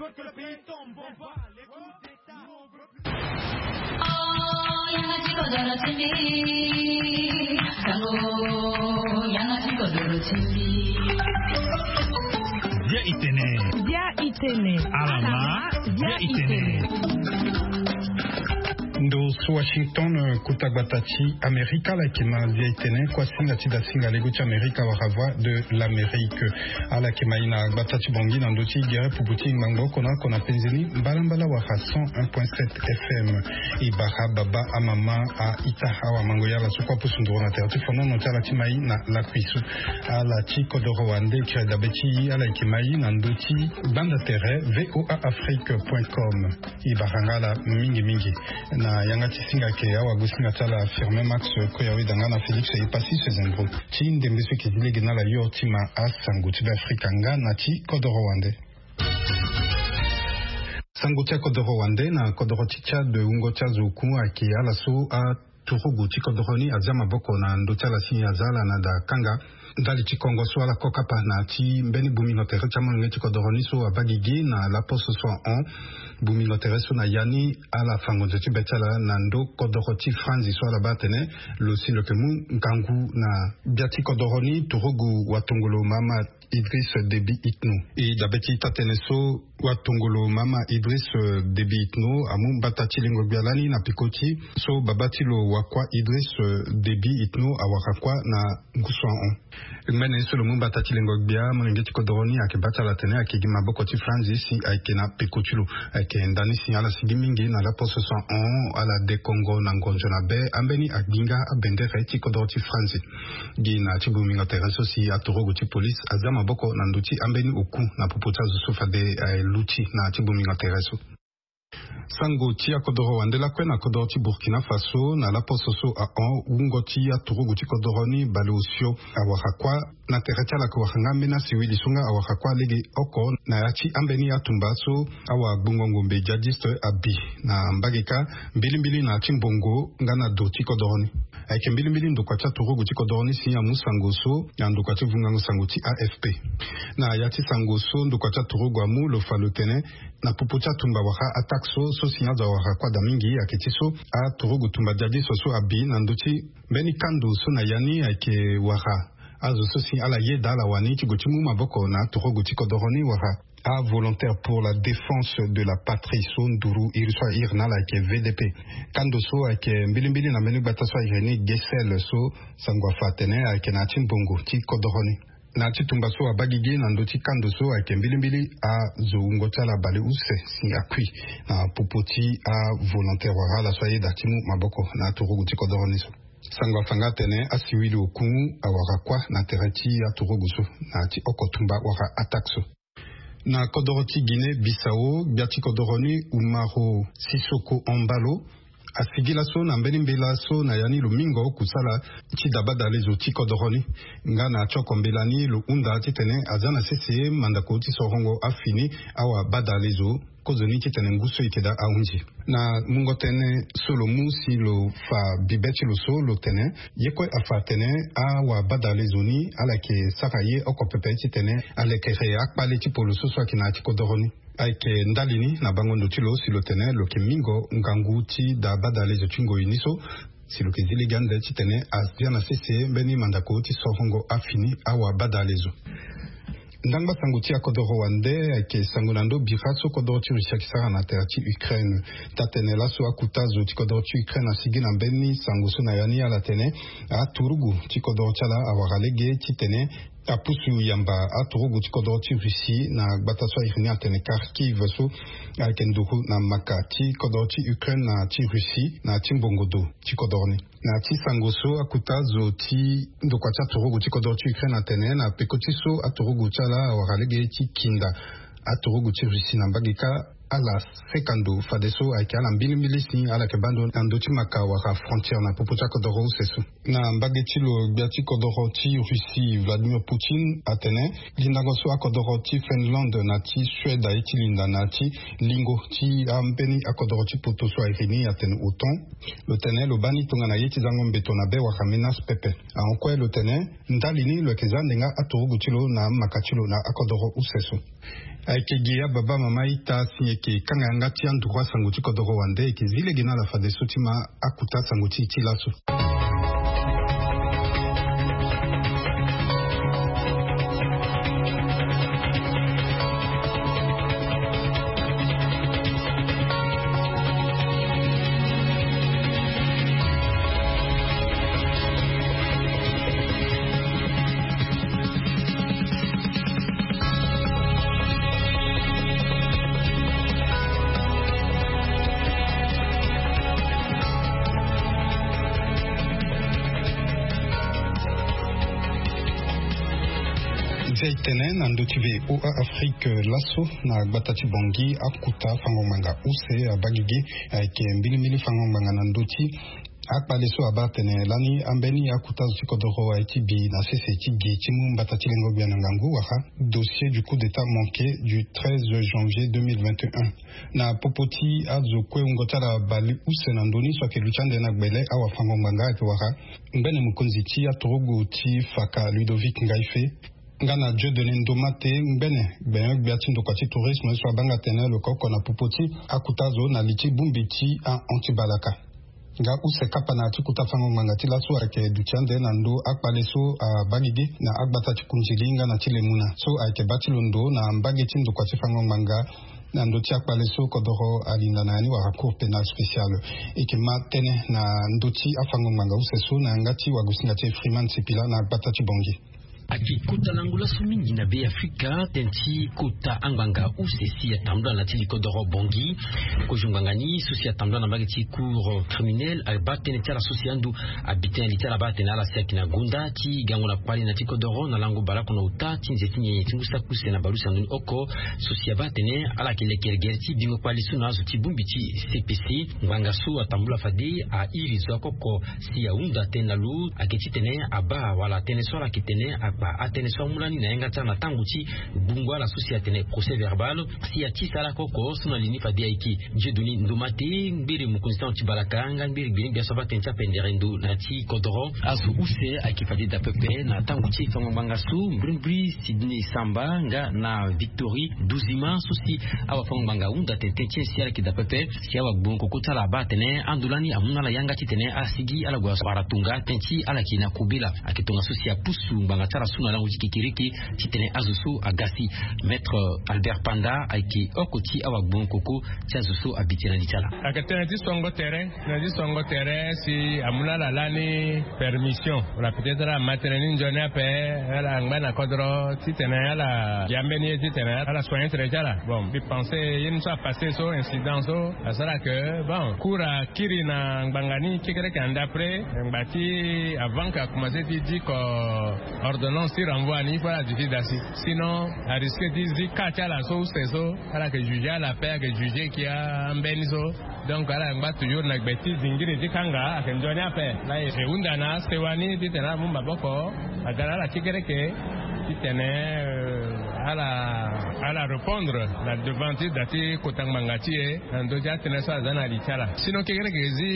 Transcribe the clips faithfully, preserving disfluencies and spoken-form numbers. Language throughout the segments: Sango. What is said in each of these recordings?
Bia itene. Bia itene. Alama. Bia itene. Ndo so Washington, kota gbata ti Amerika, ala yeke ma Bia itene, kuasinga ti dasinga lego ti Amerika wala Voix de l'Amérique. Ala yeke ma ye na gbata ti Bangui na ndö ti gere pupu ti ngbangbo oko na oko na penze ni mbalambala wala cent un point sept F M. E bara baba, amama, a-ita, awamango, ya ala so kue apusu nduru na tere ti fonono ti ala ti ma ye na lakui so. Ala ti kodoro wande kiri dabe ti e, ala yeke ma e na ndö ti gbanda tere V O A Afrique point com. E bara nga ala mingi mingi. Na yanga ti singa ayeke awagosinga ti ala Firmin Max Koyawe, da nga na Félix Epassi Sezendro ti ndembe so e yeke zi lege na ala yo ti ma asango ti Beafrika nga na ti kodoro wande. Sango ti akodoro wande. Na kodoro ti Tchad, wungo ti azo oku ayeke ala so aturugu ti kodoro ni azia maboko na ndö ti ala si aza ala na da kanga. Ndali ti kongo so ala kokapa na ti mbeni bongbingo tere ti amolenge ti kodoro ni so abaa gigi na laposo so ahon bongbingo tere so na ya ni, ala fa ngonzo ti be ti ala na ndö kodoro ti Franzi so ala baa atene lo si lo yeke mu ngangu na gbia ti kodoro ni, turugu watongolo Mahamat Idriss Déby Itno. E dabe ti taa-tënë so, watongolo Mahamat Idriss, euh, Déby Itno amu mbata ti lengo-gbia lani na peko ti so babâ ti lo wakua Idriss, euh, Déby Itno awara kuâ na ngu so ahon. Ngbene so lo mu mbata ti lengo-gbia, molenge ti kodoro ni ayeke bâ ti ala atene ayeke gi maboko ti Franzi si ayeke na peko ti lo. Ayeke ndani si ala sigi mingi na laposo so ahon, ala de kongo na ngonzo na be, ambeni agbi nga abendere ti kodoro ti Franzi. Gi na ti bongbingo tere so si aturugu ti police azia maboko na ndö ti ambeni oku na popo ti azo so fade aluti na ti bongbingo tere so. Sango ti akodoro wande lakue na kodoro ti Burkina Faso, na laposo so ahon, wungo ti aturugu ti kodoro ni baleosio awara kuâ. Na tere ti ala ayeke wara nga ambeni asiwili so nga awara kuâ lege oko na ya ti ambeni atumba so awagbongo ngombe djihadiste abi na mbage kâ, mbilimbili na ya ti mbongo nga na do ti kodoro ni. Ayeke mbilimbili ndokua ti aturugu ti kodoro ni si amu sango so na ndokua ti vungango sango ti A F P. Na ya ti sango so ndokua ti aturugu amu, lo fa lo tene na popo ti atumba wala attaque so, so si azo awara kuâ daa mingi, ayeke ti so aturugu tumba djihadiste so abi na ndö ti mbeni kando so na ya ni ayeke wara azo so si ala yeda ala wani ti gue ti mu maboko na aturugu ti kodoro ni wala aVolontaires pour la Défense de la Patrie so nduru iri so a iri na ala ayeke V D P. Kando so ayeke mbilimbili na mbeni gbata so a iri ni Gesel so sango afa atene ayeke na ya ti mbongo ti kodoro ni. Na ya ti tumba so abaa gigi na ndö ti kando so ayeke mbilimbili azo wungo ti ala baleuse si akui na popo ti aVolontaires wala ala so ayeda ti mu maboko na aturugu ti kodoro ni so. Sango afa nga atene asiwili oku awara kuâ na tere ti aturugu so na ya ti oko tumba wala attaque so. Na kodoro ti Guinée Bissau, gbia ti kodoro ni Umaro Sissoco Embaló asigi laso na mbeni mbela so na ya ni lo mingo kusala ti da badalezo ti kodoro ni. Nga na ti oko mbela ni lo hunda titene azia na sese mandako ti sorongo afini awabadalezo kozoni titene ngu so e yeke daa ahunzi. Na mungo tënë so lo mu si lo fa bibe ti lo so, lo tene ye kue afa atene awabadalezo ni ala yeke sara ye oko pepe titene alekere akpale ti polo so so ayeke na ya ti kodoro ni. Ayeke ndali ni na bango ndo ti lo si lo tene lo yeke mingo ngangu ti da badalezo ti ngoi ni so, si lo yeke zi lege ande titene azia na sese mbeni mandako ti sorongo afini awabadalezo. Ndangba sango ti akodoro wande ayeke sango na ndö bira so kodoro ti Russie ayeke sara na tere ti Ukraine. Taa-tënë laso akota zo ti kodoro ti Ukraine asigi na mbeni sango so na ya ni ala tene aturugu ti kodoro ti ala awara lege titene apusu yamba aturugu ti kodoro ti Russie na gbata so a iri ni atene Kharkiv so ayeke nduru na maka ti kodoro ti Ukraine na ti Russie na ti mbongo do ti kodoro ni. Na ya ti sango so akota zo ti ndokua ti aturugu ti kodoro ti Ukraine atene na peko ti so aturugu ti ala awara lege ti kinda aturugu ti Russie na mbage kâ, ala seka ndo fadeso ayeke ala mbilimbili si ala yeke baa ndo na ndö ti maka wala frontière na popo ti akodoro use so. Na mbage ti lo, gbia ti kodoro ti Russie Vladimir Poutine atene lindango so akodoro ti Finlande na ti Suède aye ti linda na ya ti lingo ti ambeni akodoro ti poto so a iri ni atene OTAN, lo tene lo baa ni tongana ye ti zango mbeto na be wala menace pepe. Ahon kue lo tene ndali ni lo yeke za ande nga aturugu ti lo na amaka ti lo na akodoro use so. Ayeke gi ababa mama ita si eke kanga yanga ti anduru asango ti kodoro wande eke zi lege na ala fadeso ti ma akuta asango ti e ti laso. Nzia e tene na ndö ti V O A Afrique laso na gbata ti Bangui, akuta fango ngbanga use abaa gigi. Ayeke mbilimbili fango ngbanga na ndö ti akpale so abaa atene lani ambeni akuta zo ti kodoro aye ti bi na sese ti gi ti mu mbata ti lengo gbia na ngangu wala dossier du coup d'état manqué du treize janvier deux mille vingt et un. Na popo ti azo kue wungo ti ala bale use na ndö ni so ayeke luti ande na gbele, awafango ngbanga ayeke wara ngbene mokonzi ti aturugu ti faka Ludovic Ngaife nga na Dieudonné Ndomate, ngbene gbenyo-gbia ti ndokua ti tourisme so abanga tene lo ka oko na popo ti akuta zo na li ti bongbi ti ahon ti balaka. Nga use kapa na ya ti kota fango ngbanga ti laso ayeke duti ande na ndö akpale so abaa gigi na agbata ti Kundili nga na ti Lemuna so ayeke baa ti londo na mbage ti ndokua ti fango ngbanga na ndö ti akpale so kodoro alinda na ya ni wala Cour pénale spéciale. E yeke ma tënë na ndö ti afango ngbanga use so na yanga ti wagosinga ti e Freeman Sipila na gbata ti Bangui. Ayeke kota lango laso mingi na Be Afrika tënë ti kota angbanga use si atambula na ya ti li kodoro Bangui. Kozo ngbanga ni so si atambula na mbage ti cour criminel abaa tënë ti ala so si ando abi tënë li ti ala abaa atene ala si ayeke na gonda ti gango na kpale na ya ti kodoro na lango baleoko na ota ti nze ti nyenye ti ngu saki use na baleuse na ndoni oko. So si abaa atene ala yeke lekere gere ti bingo kpale so na azo ti bongbi ti C P C. Ngbanga so atambula fade a iri zo akoko si ahunda tënë na lo ayeke titene abaa wala tënë so ala yeke tene akpa atënë so amu lani na yanga ti ala na tango ti gbungo ala so si atene procès verbal. Si atisa ala koko so na li ni fade ayeke Dieudonné Ndomate, ngbere mokonzi ti ahon ti balaka nga ngbere gbeni gbia so abaa tënë ti apendere ndo na ya ti kodoro. Azo use ayeke fade daa pepe na tango ti fango ngbanga so mbrimbri Sydney Samba nga na Victory Duzima so si awafango ngbanga ahunda tene tënë ti e si ala yeke daa pepe. Si awagbongo koko ti ala abaa atene ando lani amu na ala yanga titene ala sigi ala gue wara tongaso tënë ti ala yeke na kobela. Ayeke tongaso si apusu ngbanga ti ala so na lango ti kekereke titene azo so aga si. Maître Albert Panda ayeke oko ti awagbongo koko ti azo so abi tënë na li ti ala. Ayeke tënë ti songo tere, tënë ti songo tere si amu na ala lani permission wala peut-être ala ma tënë ni nzoni ape, ala ngba na kodro titene ala ya mbeni ye titene ala soigner tere ti ala. Bon, mbi pense ye ni so apasse so incident so asara ke bon cour akiri na ngbanga ni kekereke ande après ngba ti avant que akomanse ti diko ordonnance ti renvoi ni il faut ala duti daa si. Sinon arisque ti zi cas ti ala so use so ala yeke juger ala ape, ayeke juger kia ambeni so. Donc ala ngba toujours na gbe ti zingiri ti kanga ayeke nzoni ape. E hunda na asewa ni titene ala mu maboko aga na ala kekereke titene ala ala répondre na devant ti da ti kota ngbanga ti e na ndö ti atënë so aza na li ti ala. Sinon kekereke zi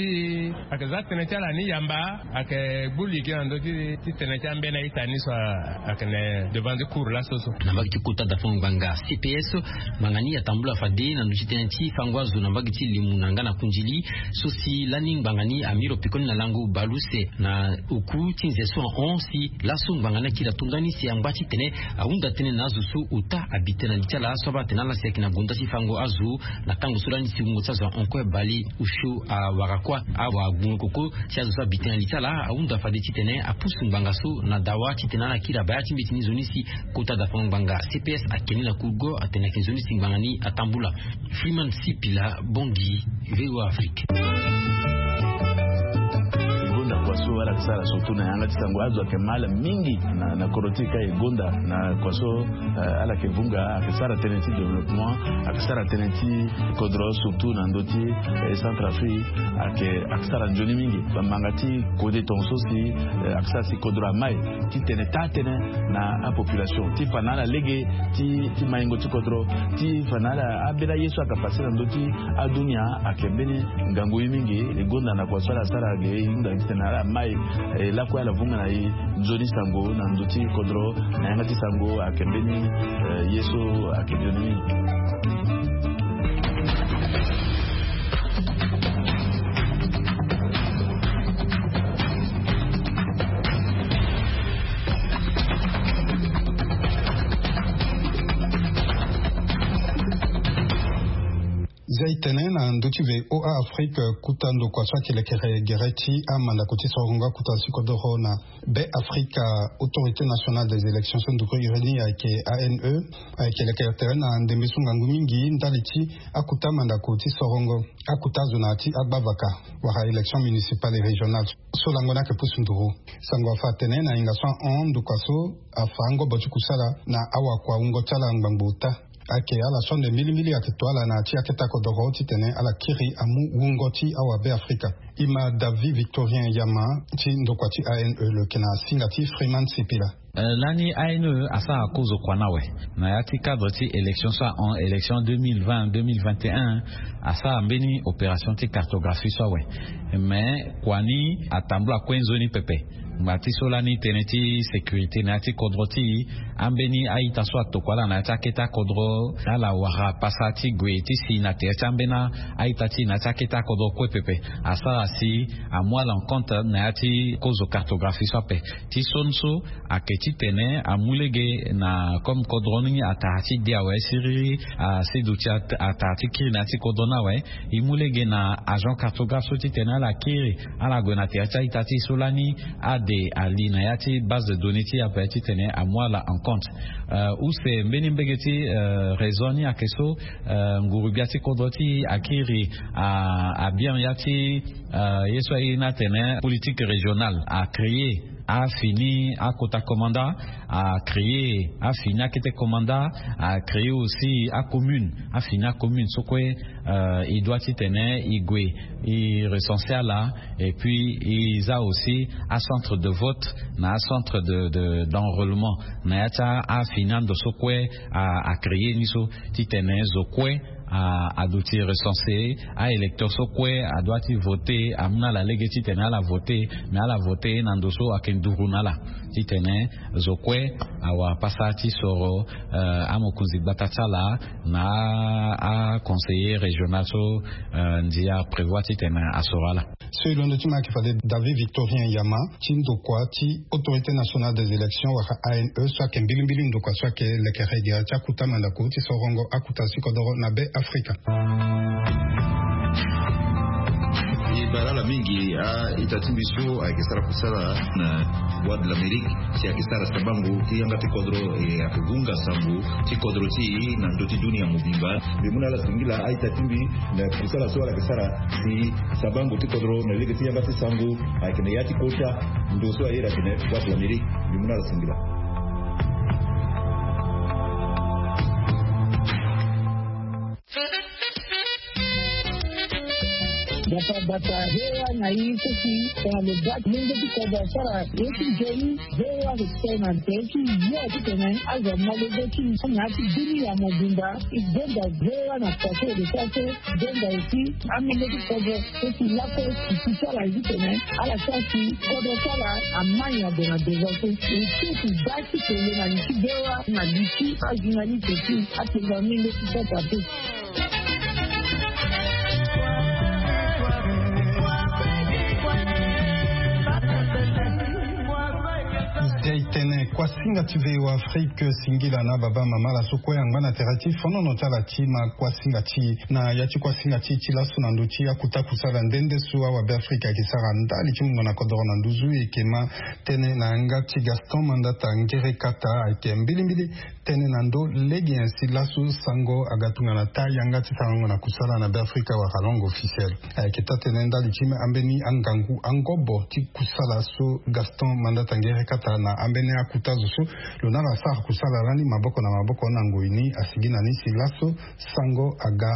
ayeke za tënë ti ala ni yamba. Ayeke gbu li gi na ndö ti tënë ti ambeni a-ita ni so ayeke na devant ti cour laso so. Na mbage ti kota dafango ngbanga C P S, ngbanga ni atambula fade na ndö ti tënë ti fango azo na mbage ti Lemuna nga na Kundili so si lani ngbanga ni amiro pekoni na lango baleuse na oku ti nze so ahon si laso ngbanga ni akiri atonda ni si angba titene ahunda tënë na azo so ota abi tënë na li ti ala so abaa atene ala si ayeke na gonda ti fango azo. Na tango so lani si wungo ti azo ahon kue bale osio awara kuâ. Awagbongo koko ti azo so abi tënë na li ti ala ahunda fade titene apusu ngbanga so na dawa titene ala kiri abaya ti mbeti ni nzoni si kota dafango ngbanga C P S akeni na kurgo atene ayeke nzoni si ngbanga ni atambula. Freeman Sipila, Bangui, V O A Afrique. E gonda kua so ala yeke sara surtout na yanga ti sango azo ayeke ma ala mingi na, na kodro ti e ka e gonda na kua so, eh, ala yeke vunga ayeke sara tënë ti développement, ayeke sara tënë ti kodro surtout na ndö ti, eh, Centrafrique, ayeke, ayeke sara nzoni mingi. Bamanga ti kode tongaso si, eh, ayeke sara si kodro amai titene taa tënë na apopulation ti fa na ala lege ti, ti maingo ti kodro, ti fa na ala ambeni aye so ayeke passe na ndö ti adunia ayeke mbeni ngangu ye mingi. E gonda na kua so ala sara ge e hunda titene ala Mai, eh, lakue ala vunga na e nzoni sango na ndö ti kodro, na yanga ti sango ayeke mbeni, eh, ye so ayeke nzoni mingi. Zia e tene na ndö ti VOA Afrique, kuta ndokua so ayeke lekere gere ti amandako ti sorongo akuta ti kodoro na Be Afrika. Autorité Nationale des Élections so nduru iri ni ayeke A N E, ayeke lekere tere na ndembe so ngangu mingi ndali ti akuta mandako ti sorongo akuta azo na ya ti agbavaka wala élection municipale et régionale so lango ni ayeke pusu nduru. Sango afa atene na hinga so ahon ndokua so afa angobo ti kusala na awakua wungo ti ala ngbangbo ota. Ayeke ala so ande mbilimbili ayeke to ala na ya ti akete akodoro titene ala kiri amu wungo ti awabe Afrika. E ma David Victorien Yama ti ndokua ti A N E lo yeke na singa ti Freeman Sipila. Eh, lani A N E asara kozo kua ni awe na ya ti cadre ti élection so ahon, élection deux mille vingt, deux mille vingt et un, asara mbeni opération ti cartographie so awe. Mais kua ni atambula kue nzoni pepe. Ngba ti so lani tënë ti sécurité na ya ti kodro ti e, ambeni a-ita so atokua ala na ya ti akete akodro, ala wara pasa ti gue ti si na tere ti ambeni a-ita ti e na ya ti akete akodro kue pepe. Asara si amu ala en compte na ya ti kozo cartographie so ape. Ti so ni so ayeke titene amu lege na comme kodro ni atara ti de awe siriri, asi duti at-, atara ti kiri na ya ti kodro ni awe. E mu lege na agent cartographe so titene ala kiri, ala gue na tere ti a-ita ti e so lani ade ali na ya ti base de données ti e ape titene amu ala en compte. Euh, use mbeni mbege ti, euh, réseau ni ayeke so, euh, nguru-gbia ti kodro ti e akiri, a, abien ya ti, euh, ye so aye ni atene politique régionale, acréer afini akota commandant, acréer afini akete commandant, acréer aussi acommune, afini acommune so kue, euh, e doit titene e gue e recenser ala, et puis e za aussi acentre de vote na acentre de, de, d'enrôlement na ya ti afini ando so kue a, acréer ni so, titene zo kue a, aduti recenser, a-électeur so kue adoit ti voter, amu na ala lege titene ala voter, mais ala voter na ndo so ayeke nduru na ala. Titene zo kue awara pasa ti soro, euh, amokonzi gbata ti ala na a, aconseiller régional so, euh, ndia prévoir titene asoro ala. So e londo ti ma ayeke fade David Victorien Yama ti ndokua ti Autorité Nationale des Élections wala A N E so ayeke mbilimbili ndokua so ayeke lekere gere ti akuta mandako ti sorongo akuta ti kodoro na Be Afrika. E bale ala mingi, a-ita ti mbi so ayeke sara kusala na Voix de l'Amérique, si ayeke sara sabango ti yanga ti kodro, e ayeke vunga sango ti kodro ti e na ndö ti dunia mobimba. Mbi mu na ala singila a-ita ti mbi na kusala so ala yeke sara si sabango ti kodro na lege ti yanga ti sango ayeke na ya ti kota ndo so aye ayeke na Voix de l'Amérique. Mbi mu na ala singila. Bata bata, V O A na e so si tongana lo baa ti lenge ti kodro asara ye ti nzoni, V O A ayeke tene na tere ti yo titene azo amolenge ti na ya ti dunia mobimba. E gonda V O A na poto lo sara so gonda aussi amolenge ti kodro so si lakue si ti sara ye titene ala sara si kodro ti ala amai ague na devant so. E so si baa ti tene na li ti V O A na li ti ajournaliste ti atene na amolenge ti sasa te. Zia e tene kuasinga ti V O A Afrique singila na baba mama ala so kue angba na tere ti fonono ti ala ti ma kuasinga ti e. Na ya ti kuasinga ti e ti laso na ndö ti akuta kusala nde nde so awabe Afrika ayeke sara ndali ti mungo na kodoro na nduzu, e yeke ma tënë na yanga ti Gaston Mandata Ngerekata, ayeke mbilimbili tënë na ndö lege nyen si laso sango aga tongana taa yanga ti sarango na kusala na Be Afrika wala langue officielle. Ayeke taa-tënë ndali ti ambeni angangu angobo ti kusala so Gaston Mandata Ngerekata na ambeni akuta zo so lo na ala sara kusala lani maboko na maboko na ngoi ni, asigi na ni si laso sango aga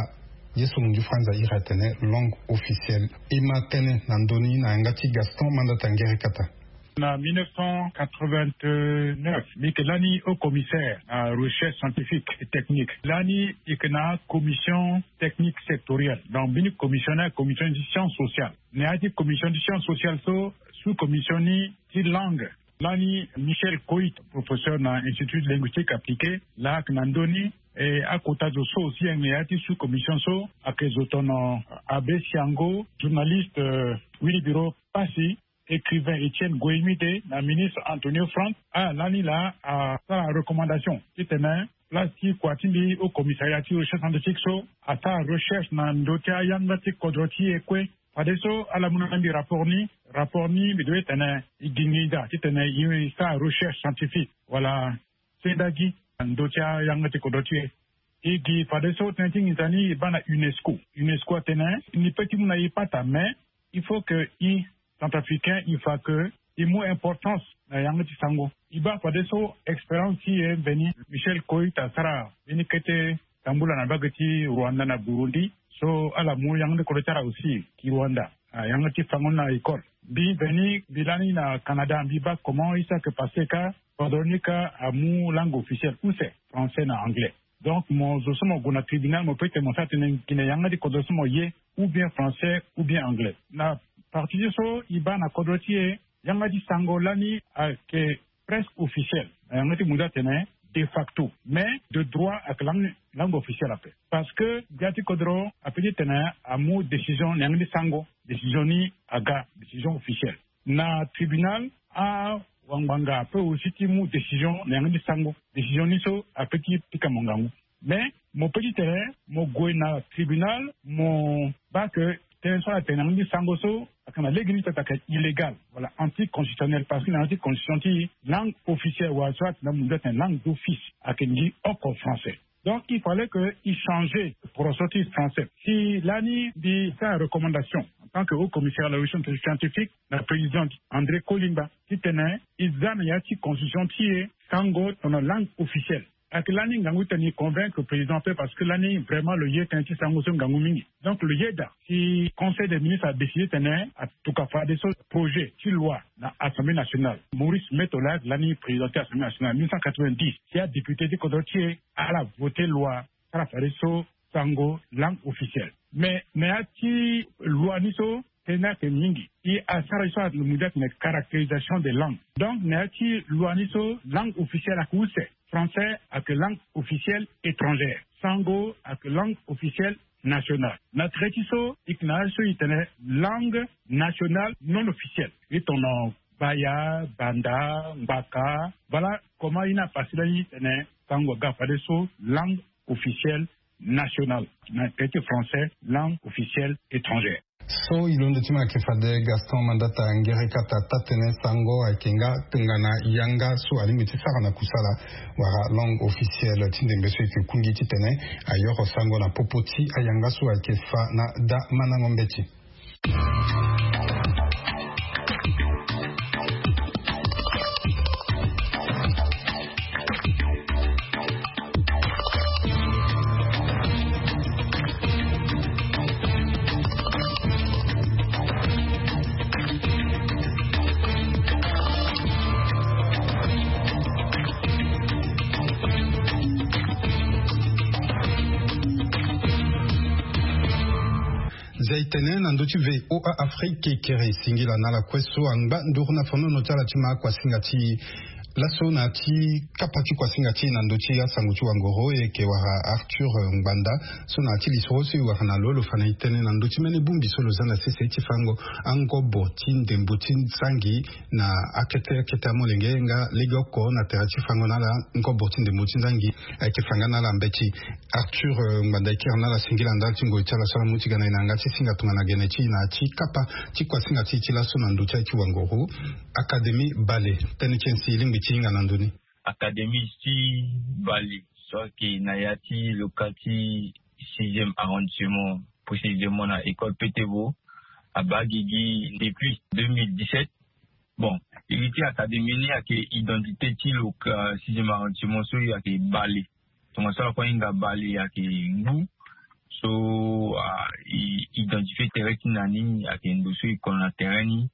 ye so mundu ti Franza iri atene langue officielle. E ma tënë na ndö ni na yanga ti Gaston Mandata Ngerekata. Na mille neuf cent quatre-vingt-neuf, mbi yeke lani haut commissaire na recherche scientifique et technique. Lani yeke na commission technique sectorielle. Donc mbeni commission ni commission de science sociale. Na ya ti commission de science sociale so, sous commission ni ti langue, lani Michel Coit, professeur na Institut linguistique appliqué, laa ayeke na ndö ni. E akota zo so aussi ayeke na ya ti sous commission so, ayeke zo tono Abbé Siango, journaliste, euh, Willy Biro Passy, écrivain Étienne Goïmide, na ministre Antonio Franck. Ah, lani laa asara recommandation titene place ti kua ti mbi haut commissariat ti recherche scientifique so asara recherche na ndö ti ayanga ti kodro ti e kue. Fadeso ala mu na mbi rapport ni. Rapport ni mbi doit tene e gi nginza titene e sara recherche scientifique wala sendagi na ndö ti ayanga ti kodro ti e. E gi fadeso tënë ti nginza ni e baa na UNESCO. UNESCO atene ni peut ti mu na e pata, mais il faut que e Centrafricain, il faut que e mu importance na yanga ti sango. E baa fadeso expérience ti e mveni Michel Coit asara mbeni kete tambula na mbage ti Rwanda na Burundi, so ala mu yanga ti kodro ti ala aussi ki Rwanda. Ah, yanga ti fango ni na école. Mbi mveni mbi lani na Canada, mbi baa comment e sara ke passe ka kodro ni ka amu langue officielle use, français na anglais. Donc mo zo so mo gue na tribunal, mo peut tene mo sara tënë gi na yanga ti kodro so mo ye, ou bien français ou bien anglais. Na partie ti so e baa na kodro ti e, yanga ti sango lani ayeke presque officiel na yanga ti mundu atene de facto, mais de droit ayeke langue, langue officielle ape. Parce que gbia ti kodro apeut ti tene amu décision na yanga ti sango, décision ni aga décision officielle. Na tribunal, awangbanga apeut aussi ti mu décision na yanga ti sango, décision ni so apeut ti pika mo ngangu. Mais mo peut ti tene mo gue na tribunal, mo baa ke tënë so ala tene na yanga ti sango so ayeke na lege ni peut ayeke illégal wala anticonstitutionnel, parce que na yanga ti constitution ti langue officielle wala so atene na mundu atene langue d'office ayeke ngi oko français. Donc il fallait que e changer poroso ti français. Si lani mbi sara recommandation en tant que haut commissaire à la recherche scientifique na président André Kolimba titene e za na ya ti constitution ti e sango tono langue officielle. Ayeke lani ngangu titene e convaincre président ape, parce que lani vraiment lo ye tënë ti sango so ngangu mingi. Donc lo yeda si conseil des ministres adécidé titene atuka fadeso projet ti loi na assemblée nationale. Maurice Meto laa ayeke lani président ti assemblée nationale mille neuf cent quatre-vingt-dix, si adéputé ti kodro ti e ala voté loi sara fadeso sango langue officielle. Mais na ya ti loi ni so tënë ni ayeke mingi. E asara ye so ala mu ti atene caractérisation des langues. Donc na ya ti loi ni so langue officielle ayeke use. Français ayeke langue officielle étrangère. Sango ayeke langue officielle nationale. Na tere ti so e yeke na ya so e tene langue nationale non officielle. E tono baya, banda, ngbaka. Voilà comment e na passe lani e tene sango aga fadeso langue officielle nationale, na tere ti français langue officielle étrangère. So e londo ti mo ayeke fade Gaston Mandata Ngerekata, taa-tënë sango ayeke nga tongana yanga so alingbi ti sara na kusala wala langue officielle ti ndembe so e yeke kungi titene ayoro sango na popo ti ayanga so ayeke fa na daa mandango mbeti. Zia e tene na ndö ti V O A Afrique, kere e singila na ala kue so angba nduru na fonono ti ala ti ma kuasinga ti laso na ya ti kapa ti kuasinga ti e na ndö ti asango ti wangoro, e yeke wara Arthur Ngbanda. So na ya ti lisoro so e wara na lo, lo fa na e tënë na ndö ti mbeni bongbi so lo za na sese ti fango angobo ti ndembo ti nzangi na akete akete amolenge nga legeoko na tere ti fango na ala ngobo ti ndembo ti nzangi ayeke fa nga na ala mbeti. Arthur, eh, Ngbanda, e kiri na ala singila ndali ti ngoi ti ala so ala mu ti ga na e na yanga ti singa tongana gene ti e na ya ti kapa ti kuasinga ti e ti laso na ndö ti aye ti wangoro. Académie Bale, tënë ti e si e lingbi ti hinga na ndö ni. Académie ti Bale so ayeke na ya ti loka ti sixième arrondissement, précisément na école Petebo, abaa gigi depuis deux mille dix-sept. Bon, iri ti académie ni ayeke identité ti loka sixième arrondissement so ayeke Bale. Tongaso ala kue ahinga Bale ayeke ngu. So, ah, e identifié tere ti na ni ayeke ndo so e kono na tere ni.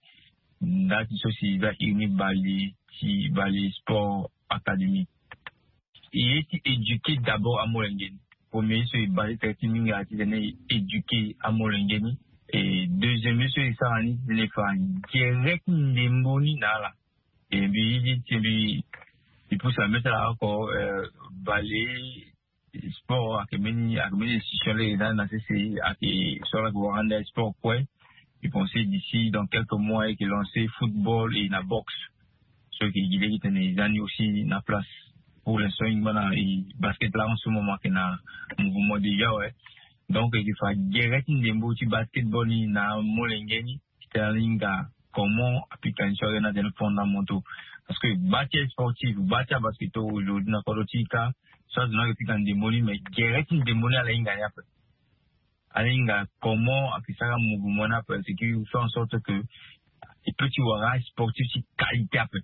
Nda ti so si e za iri ni bale ti bale sport académie. E ye ti éduquer d'abord amolenge ni. Premier so e base tere ti mingi ala ti tene e éduquer amolenge ni. E deuxième ye so e sara ni ti tene e fa gere ti ndembo ni na ala. E mbi ye ti mbi e pousse la mbi ti ala oko bale sport ayeke mbeni ayeke mbeni institution lege na na sese. Ayeke so ala yeke wara ande sport kue. Mbi pense d'ici dans quelques mois ayeke lancer football et na boxe. So ayeke gi lege ti tene e za ni aussi na place. Pour l'instant e ngba na e basket la en ce moment ayeke na mouvement déjà ouais. Donc ayeke fa gere ti ndembo ti basketball ni na molenge ni. Ti tene ala hinga comment apika ni so ayeke na tene fondamentaux. Parce que gba ti asportif gba ti abasketeur aujourd'hui na kodro ti e kâ. So azo ni ayeke pika ndembo ni mais gere ti ndembo ni ala hinga ni ape. Ala hinga comment ayeke sara mouvement ni ape ce qui fait en sorte que e peut ti wara sportif ti qualité ape.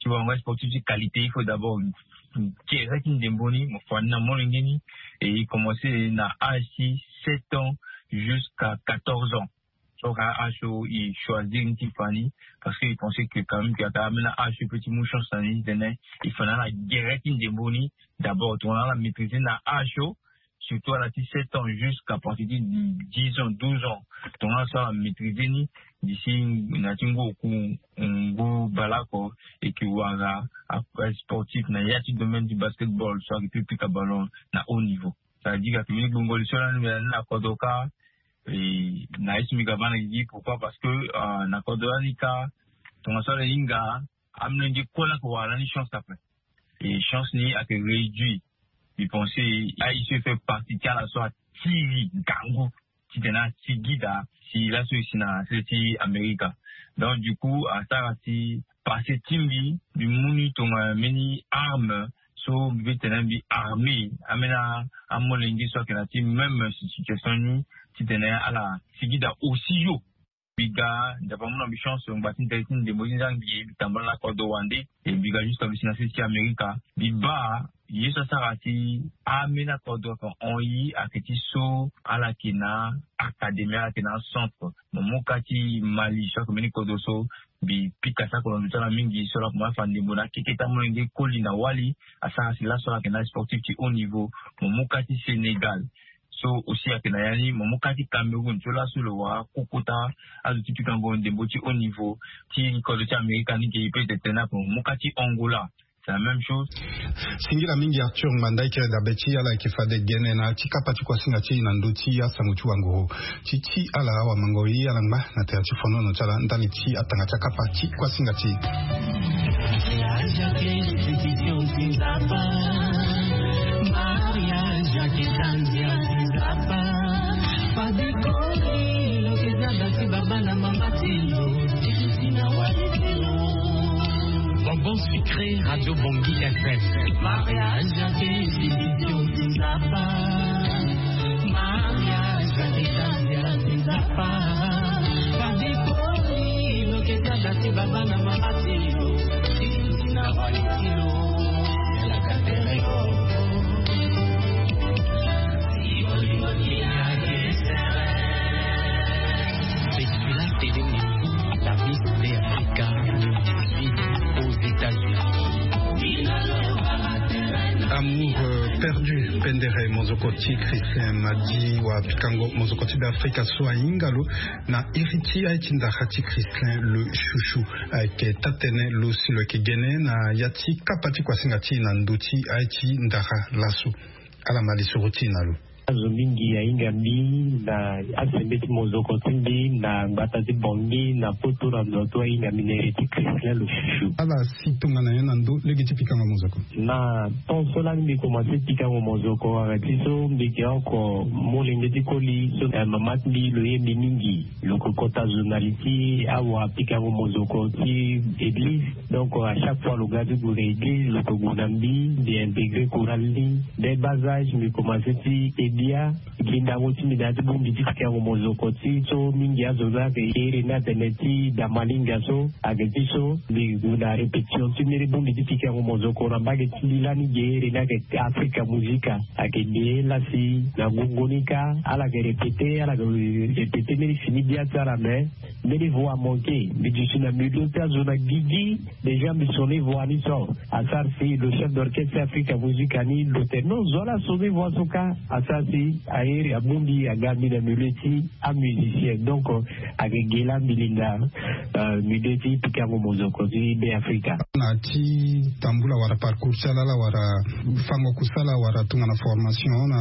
Ti wara sportif ti qualité il faut d'abord gere ti ndembo ni mo fa ni na molenge ni. Et e commence na âge ti sept ans jusqu'à quatorze ans. So ka âge so e choisir ni ti fa ni. Parce que e pense que quand même que ata ambeni âge so e peut ti mu chance na ni ti tene e fa na ala gere ti ndembo ni. D'abord tongana ala maîtriser na âge so surtout ala ti sept ans jusqu'à partir ti dix ans douze ans. Tongana so ala maîtriser ni d'ici na ti ngu oku ngu baleoko e ke wara asportif na ya ti domaine du basketball so ayeke pu pika ballon na haut niveau. Ça veut dire ayeke mbeni gbongo li so lani mbi na ni na kodro kâ. Na ye so mbi ga baa na gigi pourquoi parce que na kodro lani kâ tongana so ala hinga amolenge kue laa ayeke wara lani chance ape. Et chance ni ayeke réduit. Mbi pense aye so e fait partie ti ala so atiri ngangu ti tene asigi daa si laso e si na sese ti amerika. Donc du coup asara si passé ti mbi mbi mu ni tongana mbeni arme so mbi peut tene mbi armé ambeni amolenge so ayeke na ti même situation ni ti tene ala sigi daa aussi yo. Mbi ga nzapa amu na mbi chance ngba ti ndali ti ndembo ti nzangbi e mbi tambala na kodro wande. E mbi ga jusqu'à mbi si na sese ti amerika mbi baa ye so asara si ambeni akodro ayeke hon ye ayeke ti so ala yeke na académie ala yeke na acentre. Mo mu ka ti mali so ayeke mbeni kodro so mbi pika sako na ndo ti ala mingi so ala koma afa ndembo na akeke ti amolenge koli na wali. Asara si laso ala yeke na sportif ti haut niveau. Mo mu ka ti sénégal so aussi ayeke na ya ni mo mu ka ti cameroun so laso lo wara kukota azo ti pikango ndembo ti haut niveau ti kodro ti amerika ni ge e pe tene ape mo mu ka ti angola. C'est la même chose. Singila mingi arthur ngbanda e kiri dabe ti ala ayeke fade gene na ti kapa ti kuasinga ti e na ndö ti asango ti wanguru ti ti ala awamango e ala ngba na tere ti fonono ti ala ndali ti atanga ti akapa ti kuasinga ti e. Bonbon sucré radio bongi fm. Mariage ya ke sisi ti ozapa. Mariage ya ke sisi ti ozapa. Pabikoli loketa dati baba na mama tilo. Sisi na wali tilo. Yalaka tere yo. Spécial télé Messi, la Miss Africa deux mille dix-huit aux États-Unis. Amour perdu pendere mozoko ti Christian Madi wa pikango mozoko ti Afrika so ahinga lo na iri ti aye ti ndara ti Christian le chouchou. Ayeke taa-tënë lo si lo yeke gene na ya ti kapa ti kuasinga ti e na ndö ti aye ti ndara laso. Ala ma lisoro ti e na lo. Azo mingi ahinga mbi na asembeti mozoko ti mbi na ngbata ti bongi na poto na ndo atu ahinga mbi na iri ti Christian le chouchou. Ala si tongana nyen na ndö lege ti pikango mozoko? Na temps so lani mbi komanse pikango mozoko ayeke ti so mbi yeke oko molenge ti koli so mama ti mbi lo ye mbi mingi. Lo yeke kota journaliste awa apikango mozoko ti église. Donc à chaque fois lo ga ti gue na église lo yeke gue na mbi mbi intégrer chorale ni. Dès bas âge mbi komanse ti ke bia. Gi ndango ti mbi na ya ti Bongbi ti pikango mozoko ti so mingi azo ni ayeke iri ni atene ti damalinga so ayeke ti so mbi gue na répétition ti mbeni bongbi ti pikango mozoko na mbage ti mbi lani ge iri ni ayeke Africa Musica. Ayeke ge lasi na gongo ni kâ ala yeke répéter ala yeke répéter mbeni fini bia ti ala mais mbeni voix amanke. Mbi duti na milieu ti azo na gigi. Déjà mbi soni voix ni so asara si le chef d'orchestre Africa Musica ni lo tene non zo ala soni voix so kâ. Asara si airi abongbi aga mbi na milieu ti amusicien donc ayeke ge laa mbi linda milieu ti pikango mozoko ti Be Africa. Na ti tambula wala parcours ti ala ala wala fango kusala wala tongana formation na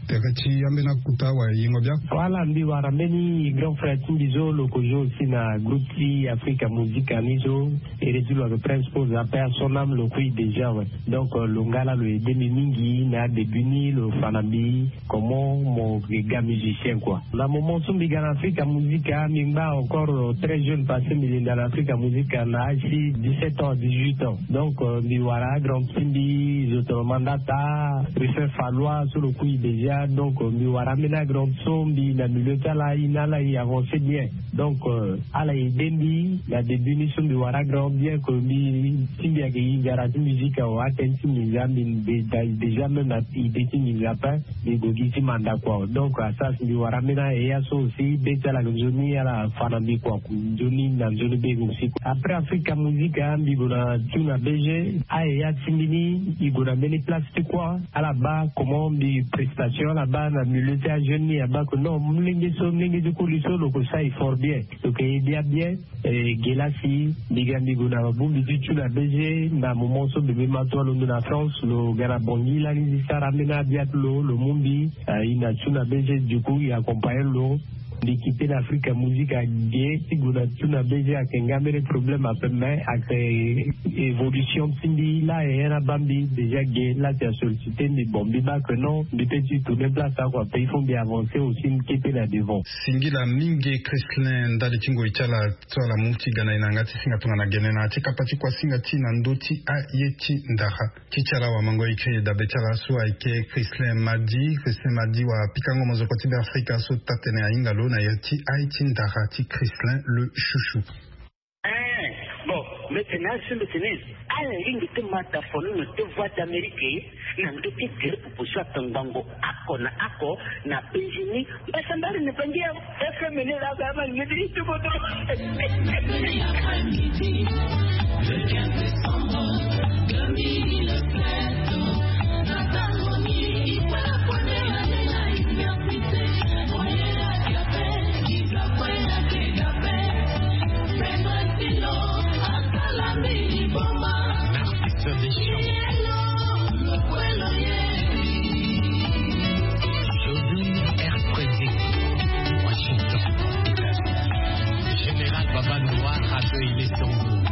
tere ti ambeni akuta wala yengo bia. Wala mbi wara mbeni grand frère ti mbi so lo kozo aussi na groupe ti Africa Musica ni so ere ti lo ayeke principal ape asonam lo kui déjà we. Donc lo nga la lo aide mbi mingi na adébut ni lo fa na mbi comment mo ga musicien quoi. Na moment so mbi ga na Africa Musica mbi ngba encore très jeune parce que mbi linda na Africa Musica na âge ti dix-sept ans dix-huit ans. Donc mbi wara grand ti mbi zo tongana mandata Ruffin Fallois so lo kui déjà donc mbi wara ambeni grand so mbi na milieu ti ala aye na ala aye avancer bien. Donc ala aide mbi na début ni so mbi wara grand bien que mbi ti mbi ayeke hinga na ti musique awe atene ti mbi nza mbi déjà même na idée ti mbi nza ape. Mbi gue gi ti manda kua donc asara si mbi wara ambeni aye ya so aussi be ti ala ayeke nzoni ala fa na mbi kua nzoni na nzoni be aussi. Après Africa Musica mbi gue na tuna B G aye ya ti mbi ni. I gue na mbeni place ti kua ala baa comment mbi prestation ala baa na milieu ti ajeune ni abaa que non molenge so molenge ti koli so lo ko sa effort bien lo ko aide ya bien. Ge lasi mbi ga mbi gue na bongbi ti tuna B G na moment so bebe ma to alondo na France lo ga na bongi lani ti sara ambeni abia ti lo lo mu mbi. I na tuna B G du coup i accompagne lo. Mbi kite na Africa Musica ge ti gue na tuna B G ayeke nga mbeni problème ape mais ayeke évolution ti mbi la aye na baa mbi déjà ge la si asollicité mbi bon mbi baa que non mbi pe ti tourner place ako ape il faut mbi avancer aussi mbi kite na devant. Singila mingi Christlin ndali ti ngoi ti ala so ala mu ti ga na e na yanga ti singa tongana gene na ya ti kapa ti kuasinga ti na ndö ti aye ti ndara. Ti ti ala wamango écrit dabe ti ala so ayeke Christlin Madi. Christlin Madi wapikango mozoko ti Be Afrika so taa-tënë ahinga lo na ya ti aye ti ndara ti Christlin le Chouchou. Ee, bon, mbi tene azo mbi tene ala hinga ti mata fo ni na ti Voix d'Amérique na ndö ti gere pupu so atongbango oko na oko na penzi ni. Mbasambari na penzi ya F M ni la ga ma ni ti bodo. Général Baba Noir accueille les tambours.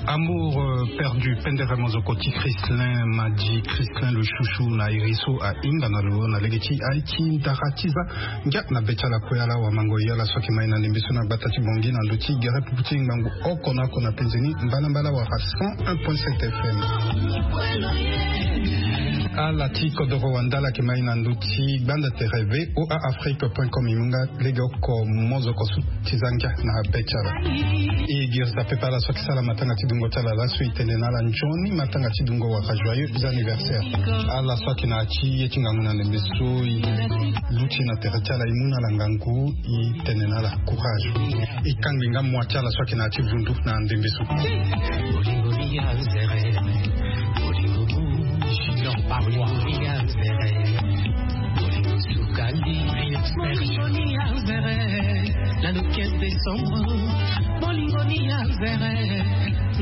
Amour, euh, perdu, pendere mozoko ti Christlin Madi, Christlin le Chouchou na iri so ahinga na lo na lege ti aye ti ndara ti za. Ngia na be ti ala kue ala wamango e ala so ayeke mai na ndembe so na gbata ti Bangui na ndö ti gere pupu ti ngangu oko na oko na penzi ni mbalambala wara cent un point sept F M. Ala ti kodoro wanda ala yeke mai na ndö ti gbanda tere V O A Afrique point com e mu nga lege oko mozoko so ti za ngia na be ti ala. E girisa pepe ala so ayeke sara matanga ti dungo ti ala laso e tene na ala nzoni matanga ti dungo wala joyeux anniversaire. Ala so ayeke na ya ti ye ti ngangu na ndembe so e luti na tere ti ala e mu na ala ngangu e tene na ala courage. E kangbi nga mua ti ala so ayeke na ya ti vundu na ndembe so. Bolingo ni ya nzere, bolingo ni junior paroi. Bolingo ni ya nzere, bolingo suka ni expert. Bolingo ni ya nzere, na le quinze décembre. Bolingo ni ya nzere,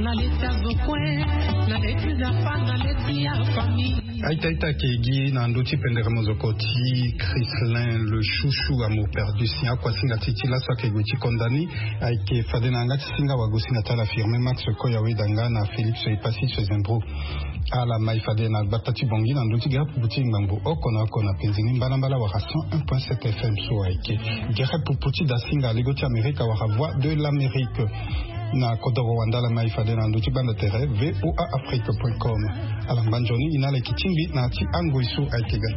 na leti ya zokwe, na leti ya pa, na leti ya famille. Aita aita ayeke gi na ndö ti pendere mozoko ti Christlin le Chouchou, Amour perdu, si akuasinga ti ti laso ayeke gue ti konda ni. Ayeke fade na yanga ti singa wagosinga ti ala Firmin Max Koya Wedanga na Félix Epassis Zembro. Ala mai fade na gbata ti Bangui na ndö ti gere pupu ti ngbangbo oko na oko na penzi ni mbalambala wala cent un point sept F M so ayeke gere pupu ti dasinga lego ti Amerika wala Voix de l'Amérique. Na kodoro wandala mai fade na ndö ti gbanda tere voa afrique point com. Ala ngba nzoni ina ala yeke tingbi na ya ti angoi so ayeke ga.